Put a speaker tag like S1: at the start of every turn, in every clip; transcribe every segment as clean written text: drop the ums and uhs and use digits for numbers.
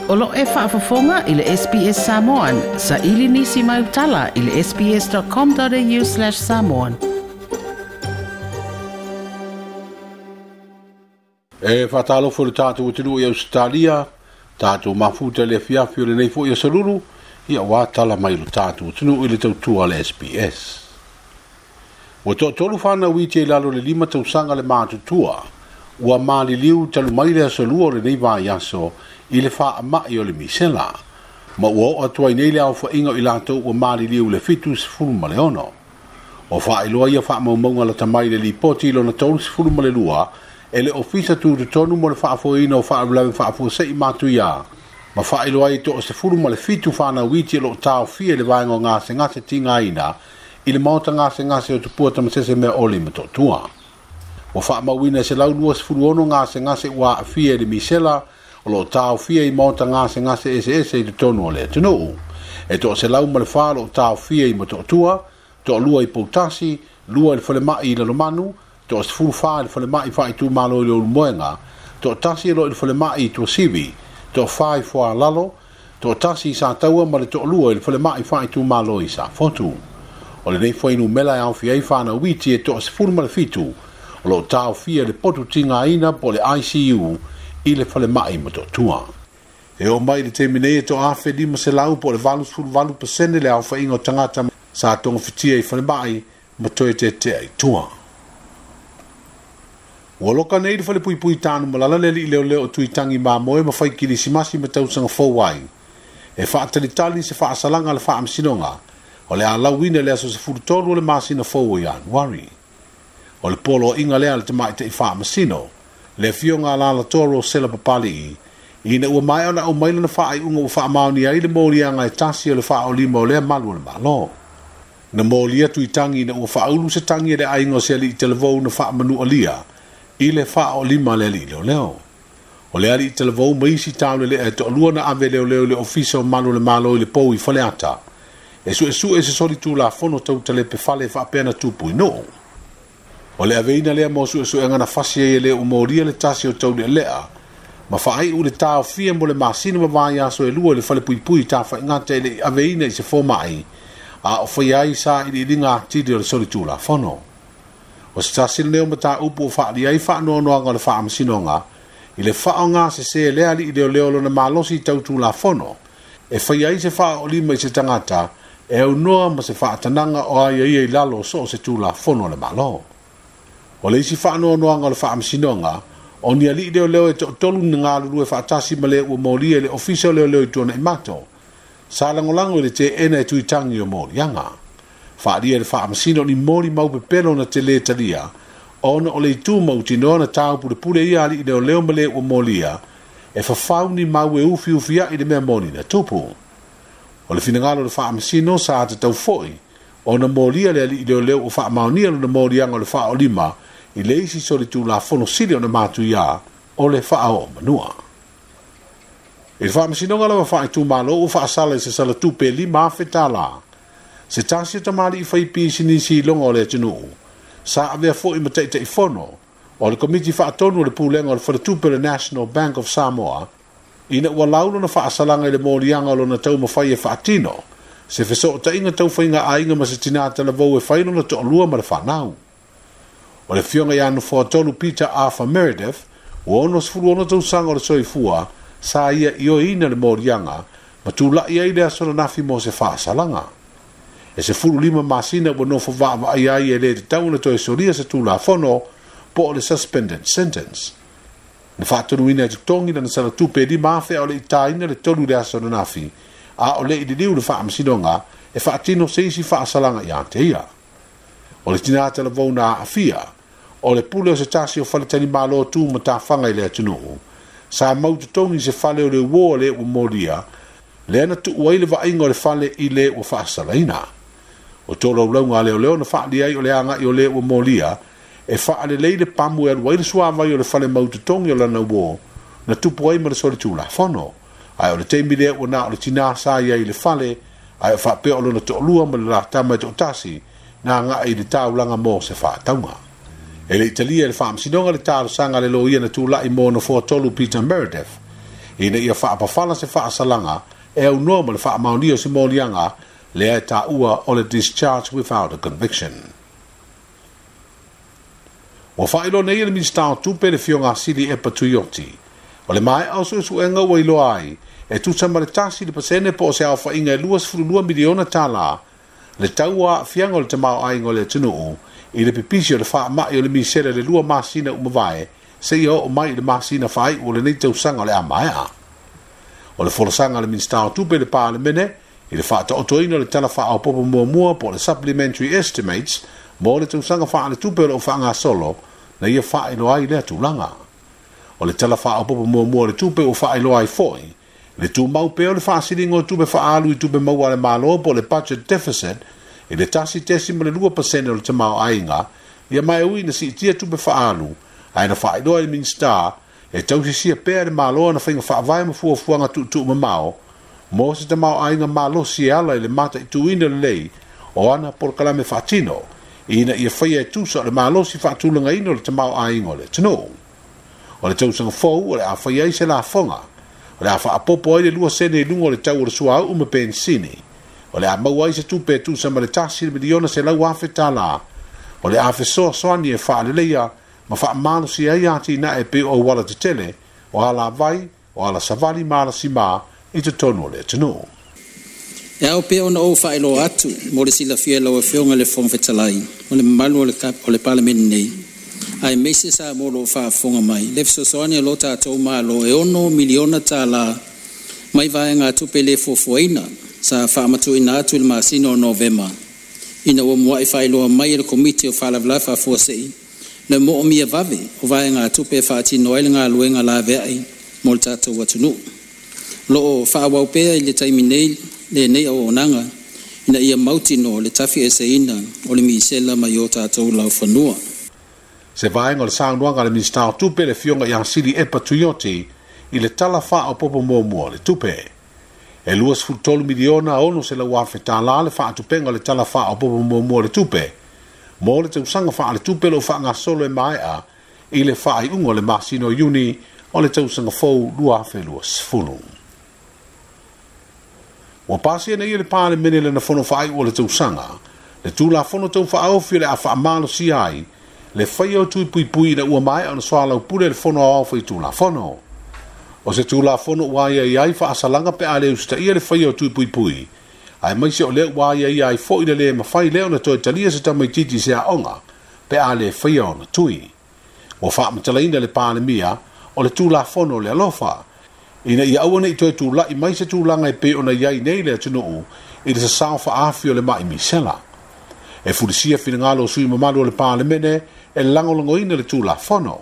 S1: O lo o e faafofoga i le SBS Samoan. Saili nisi mau tala i le sbs.com.au/samoan.
S2: E faatalofa i le tatou atunuu i Ausetalia, tatou mafuta i le afiafi o lenei foi aso Lulu, ia ua tala mai lo tatou atunuu i le tautua a le SBS. Ua toatolu fanau iti i lalo le 5 tausaga le matutua, ua maliliu talu mai le aso Lua o lenei vaiaso i le faamai o le misela, ma ua oo atu ai nei le aofaiga o i latou ua maliliu le 76. O faailoa ia faamaumauga lata mai le lipoti lona 32 e le Ofisa Tutotonu mo le Faafoeina o Faalavelave Faafuasei Matuia, ma faailoa ai toa 17 fanau iti o lo o taofia i le vaega o gasegase tigaina i le maota gasegase o Tupua Tamasese Mea Oli Motootua. Ua faamauina e 126 gasegase ua aafia i le misela o lo o taofia i maota gasegase eseese i totonu o le atunuu. E toa 104 o lo o taofia i Motootua, toa 2 i Poutasi, 2 i le falemai i Lalomanu, toa 14 i le falemai faaitumalo i le Ulumoega, toa 1 o lo o i le falemai i Tuasivi, toa 4 i Fualalo, toa 1 i Sataua ma le toa 2 i le falemai faaitumalo i Safotu. O lenei fuainumera e aofia ai fanau iti e toa 17 o lo o taofia i le potu tigaina po o le ICU i le falemai Motootua. E oo mai i le taimi nei e toa 1,500 po o le 88% le aofaiga o tagata sa togafitia i falemai ma toe tetea i tua. Ua loka nei le falepuipui Tanumalala le alii leoleo o Tuitangi Mamoe ma fai kilisimasi ma tausaga fou ai. E faatalitali se faasalaga a le faamasinoga o le a lauina i le aso 13 o le masina fou o Ianuari. O le poloaiga lea a le tamaitai faamasino, le afioga a Lalatoa Rosela Papalii, ina ua maea ona aumai lana faaiuga ua faamaonia ai le moliaga e tasi o le faaolima o lea malu o le Malo. Na molia Tuitangi ina ua faaulu se tagi a le aiga o se alii talavou na faamanualia i le faaolima a le alii leoleo. O le alii talavou ma isi taulelea e toalua na ave leoleo i le Ofisa o Malu o le Malo i le pou i Faleata, e suesue se soli tulafono tau talepe fale faapea na tupu i Nuu. O le aveina lea mo suesuega na fasi ai e le ua molia le tasi o taulealea, ma faaiu le taofia mo le masina ma vaiaso e 2 i le falepuipui i Tafaigata e le i aveina i se fomai, a o faia ai sailiiliga atili o le soli tulafono. O se tasi lenei o mataupu o faalia ai faanoanoaga o le faamasinoga i le faaaogasese e lea alii leoleo lona malosi tau tulafono e faia ai se faaolima i se tagata e aunoa ma se faatanaga o aiaia i lalo o so o se tulafono a le Malo. O le isi faanoanoaga o le faamasinoga, o ni alii leoleo e toatolu na galulue faatasi ma le ua molia i le Ofisa o Leoleo i Tuanaimato, sa lagolago i le teena e Tuitangi o moliaga. Faalia i le faamasino o ni moli mau pepelo na tele talia, ona o le itu mautinoa na taupulepule ia alii leoleo ma le ua molia, e fafau ni mau e ufiufiai le mea moni na tupu. O le finagalo o le faamasino sa tatau foi ona molia le alii leoleo ua faamaonia lona moliaga o le faaolima i le isi soli tulafono sili ona matuia o le faaoomanua. I le faamasinoga lava faaitumalo ua faasala i se salatupe 5,000 tālā. Se tasi o tamalii fai pisinisi i loga o le atunuu, sa avea foi ma taitaifono o le komiti faatonu o le pulega o le faletupe o le National Bank of Samoa, ina ua lau lona faasalaga i le moliaga o lona taumafai e faatino se fesootaiga taufaiga aiga ma se tinā talavou e fai lona toalua ma le fanau. O le afioga ia Nofoatolu Peter Arthur Meredith, ua 66 tausaga o le soifua, sa ia ioeina le moliaga ma tula'i ai le aso ananafi mo se faasalaga. E 15 masina ua nofo vaavaai ai e le tatau ona toe solia se tulafono po o le suspended sentence. Na faatonuina e totogi lana salatupe e 5,000 a o le i taina le 3 i le aso ananafi, a o le i liliu le faamasinoga e faatino se isi faasalaga ia te ia. O le tinā talavou na aafia, o le pule o se tasi o faletalimalo tu matafaga i le atunuu, sa mau totogi se fale o le uo o le ua molia, lea na tuu ai le vaaiga o le fale i le ua faasalaina. O tolaulauga a leoleo na faalia ai o le agai o le ua molia, e faalelei le pamu e alu ai le suavai o le fale mau totogi o lana uo, na tupu ai ma le soli tulafono. Ae o le taimi lea ua na o le tinā sa i ai i le fale, ae o faapea o lona toalua ma le latama e toatasi, na agai i le taulaga mo se faatauga. E le i talia e le faamasinoga le talosaga a le loia na tula'i mo Nofoatolu Peter Meredith, Ina ia faapafala se faasalaga e aunoa ma le faamaonia o se moliaga lea e taua o le discharge without a conviction. Ua faailoa nei e le Minisita o Tupe le Afioga ia Sili Epa Tuioti, o le maea o suesuega ua iloa ai e tusa ma le 1% po o se aofaiga e $22 miliona le tau o aafiaga o le tamaoaiga o le atunuu i le pipisi o le faamai o le misela i le 2 masina ua mavae seia oo mai i le masina faaiu o lenei tausaga o le a maea. O le folasaga a le Minisita o Tupe i le Palemene i le faataotoina o le Tala Faaopoopo Muamua po o le Supplementary Estimates mo le tausaga faaletupe o lo o faagasolo na ia faailoa ai lea tulaga. O le Tala Faaopoopo Muamua o le Tupe ua faailoa ai foi le tumau pea o le faasiliga o tupe faaalu i tupe maua a le Malo po o le budget deficit i le 1.2% o le tamaoaiga, ia ma e ui ina siitia tupe faaalu, ae na faailoa e le Minisita e tausisia pea e le Malo ana faiga faavae ma fuafuaga tuutuumamao mo se tamaoaiga malosi e ala i le mataituina lelei o ana polokalame faatino ina ia faia e tusa o le malosi faatulagaina o le tamaoaiga o le atunuu. O le tausaga fou o le a fai ai se lafoga, o le a faaopoopo ai le 2 sene i luga o le tau o le suauu ma penisini, o le a maua ai se tupe e tusa ma le $1,100,000, o le a fesoasoani e faaleleia ma faamalosia ai atinae e pei o auala tetele, o alavai, o alasavali ma alasimā i totonu o le atunuu.
S3: E ao pea ona ou faailoa atu mo le silafia e lau Afioga i le Fofoga Fetalai ma le mamalu o le Palemene nei, aemaise Samoa o lo o faafofoga mai, le fesoasoani a lo tatou Malo e $6 miliona tālā mai vaegatupe le fuafuaina sa faamatuuina atu i le masina o Novema ina ua muai faailoa mai e le Komiti o Faalavelave Faafuasei le moomia vave o vaegatupe e faatino ai le galuega laveai mo le tatou atunuu. O lo o faaauau pea i le taimi nei lenei auaunaga ina ia mautinoa le tafieseina o le misela mai o tatou laufanua.
S2: Se vaega o le saunoaga a le Minisita o Tupe le Afioga ia Sili Epa Tuioti i le Tala Faaopoopo Muamua o le Tupe. E $23 miliona $600,000 le faatupega o le Tala Faaopoopo Muamua o le Tupe mo le tausaga faaletupe o lo o faagasolo e maea i le faaiuga o le masina o Iuni o le tausaga fou 2020. Ua pasia nei e le Palemene lana fono faaiu o le tausaga, le Tulafono Tau Faaofi o le a faamalosia ai le faia o tui puipui ina ua maea ona soalaupule le Fono Aoao Faitulafono. O se Tulafono ua aiaia ai faasalaga pe a le usitaia le faia o tui puipui, aemaise o lea ua aiaia ai foi le le mafai lea ona toe talia se tamaitiiti i se aoga pe a le faia ona tui. Ua faamatalaina e le Palemia o le Tulafono o le alofa, ina ia aua ne i toe tulai mai se tulaga e pei ona i ai nei le atunuu i le sasao faaafi o le mai misela. E fulisia finagalo o sui mamalu o le Palemene e lagolagoina le Tulafono,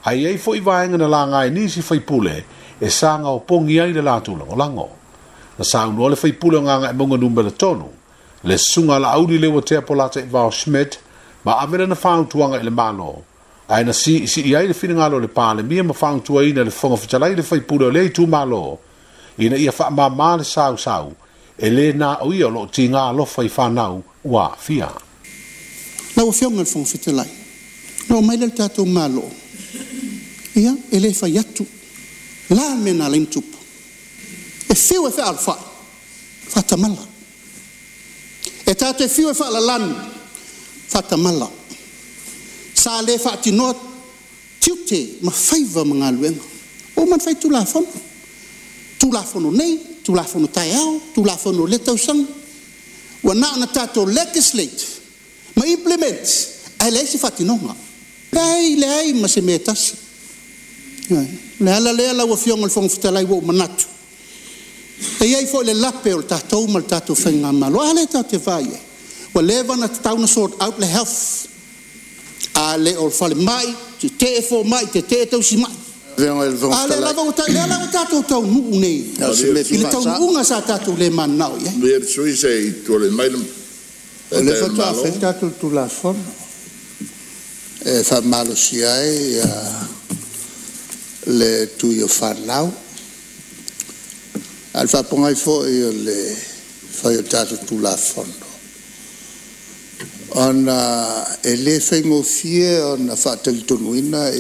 S2: ae i ai foi vaega na laga e nisi faipule e saga opogi ai le latou lagolago. Na saunoa le faipule o Gagaemauga Numera 3, le Susuga a Laauli Leuatea Polataivao Schmidt, ma ave lana fautuaga i le Malo, ae na siisii ai le finagalo o le Palemia ma fautuaina e le Fofoga Fetalai le faipule o lea itumalo ina ia faamāmā le sausau e lē na o ia o lo o tiga alofa i fanau ua aafia.
S4: Lau Afioga i le Fofoga Fetalai, na oo mai lea i le tatou Malo, ia, e le fai atu la le mea na ala ai ona tupu. E fiu e fealofai, faatamala. E tatou te fiu e faalalanu, faatamala. Sa le faatinoa tiute ma faiva ma galuega. Ua uma ona fai Tulafono. Tulafono nei, Tulafono taeao, Tulafono o lea tausaga. Ua na ona tatou legislate ma implement ae leai se faatinoga. Leai, leai ma se mea e tasi. Ioe. O le ala lea lau Afioga i le Fofoga Fetalai ua ou manatu, e i ai foi le lape o le tatou ma le tatou faigamalo. A lea tatou te vaai i ai, ua leva ona tatau ona sort out le health, a le o le falemai, tetee fomai, tetee tausimai.
S5: Afioga i le Fofoga
S4: A lea
S5: Fetalai,
S4: lava ua ta, lea la ua tatou taunuu nei
S5: o se mea
S4: i
S5: fia
S4: le
S5: faasao.
S4: taunuuga sa tatou le mananao i ai.
S6: Manuia le sui usufono se i tulai mai le
S5: O lea
S6: Taitai o le
S5: faatoa fai
S6: Malo.
S5: le tatou Tulafono e faamalosia ai le tui o fanau. A o le faapogai foi o le fai o tatou Tulafono, ona e le faigofie ona faatalitonuina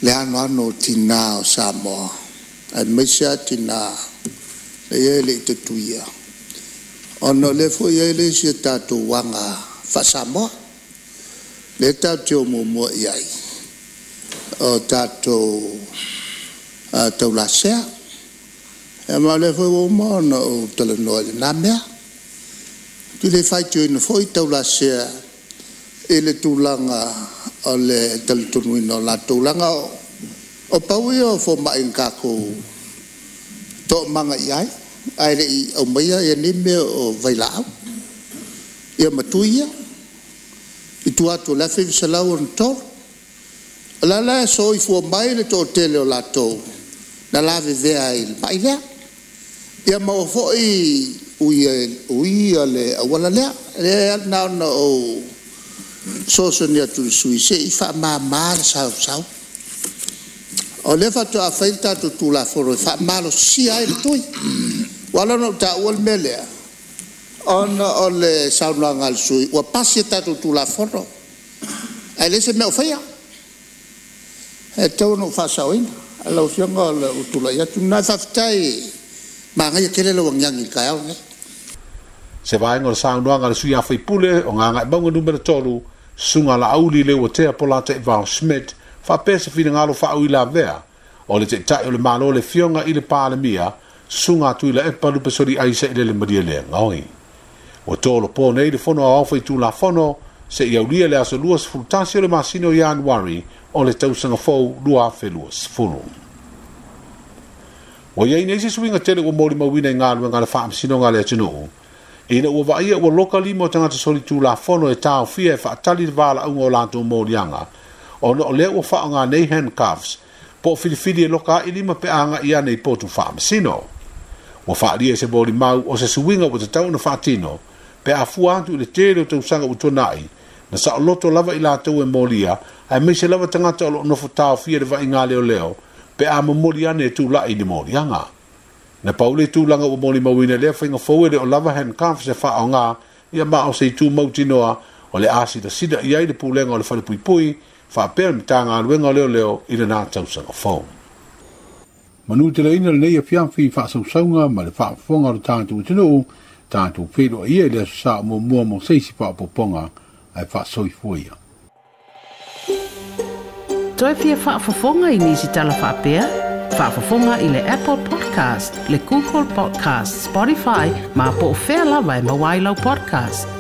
S5: le anoano o tinā o Samoa, aemaise lava tinā ia e le i tatuia, ona o lea foi e i ai le isi a tatou aga faa-Samoa, lea tatou te o muamua i ai, o tatou taulasea. Ia ma o lea foi ua uma ona ou talanoa i lena mea. Ou te le faitioina foi taulasea i le tulaga o le talitonuina o latou, leaga o pau ia o fomai na tatou toomaga i ai ae le i aumaia nei mea o vailaau ia ma tui ia i tua atu o le 1963. O la e soifua mai le toatele o latou na lavevea ai i le mai lea, ia ma ua foi uia le auala lea. Lea na ona ou fesoasoani atu i le sui usufono se i faamama le sausau. O lea faatoa fai le tatou Tulafono e faamalosia ai le tui. Ua ala ona ou taua le mea lea, ona o le saunoaga a le sui usufono ua pasi a tatou Tulafono ae leai se mea o faia. E tatau ona ou faasaoina. Lau Afioga o lou tulai atu lena. Faafetai, manaia tele lau agiagi i le taeao lenei.
S2: Se vaega o le saunoaga a le sui usufono o Gagaemauga Nu.3, Susuga Laauli Leuatea Polataivao Schmidt, faapea se finagalo faauilavea o le Taitai o le Malo le Afioga i le Palemia, Susuga Tuilaepa Lupesoliai Sailele Malielegaoi. Ua tolopo nei le Fono Aoao Faitulafono seia aulia le aso 21 o le masina o Ianuari o le tausaga fou 2020. Ua i ai nei se suiga tele ua molimauina i galuega a le Faamasinoga a le atunuu, ina ua vaaia ua loka lima o tagata solitulafono e taofia e faatali le valaauga o latou moliaga, ona o lea ua faaaoga nei handcuffs po o filifili e loka ai lima pe a agai ane i potu faamasino. Ua faaalia i se molimau o se suiga ua tatau ona faatino pe a fua atu i le tele o tausaga ua tuanai, na saoloto lava i latou e molia, aemaise lava tagata o lo o nofo taofia i le vaaiga leoleo pe a momoli ane e tulai i ni moliaga. Na pau le tulaga ua molimauina i lea faiga fou e le o lava handcuffs e faaaoga, ia ma o se itu mautinoa o le a silasila i ai le Pulega o le Falepuipui faapea le Matagaluega o Leoleo i lena tausaga fou. Manuteleina lenei afiafi i faasausauga ma le faafofoga o le tatou atunuu, tatou feiloai ia i le Aso Sa o muamua mo se isi faaopoopoga ae faasoifua ia.
S1: Toe fia faafofoga i nisi tala faapea? Faafofoga i le Apple Podcast, le Google Podcast, Spotify, ma po o fea lava e maua ai lau podcast.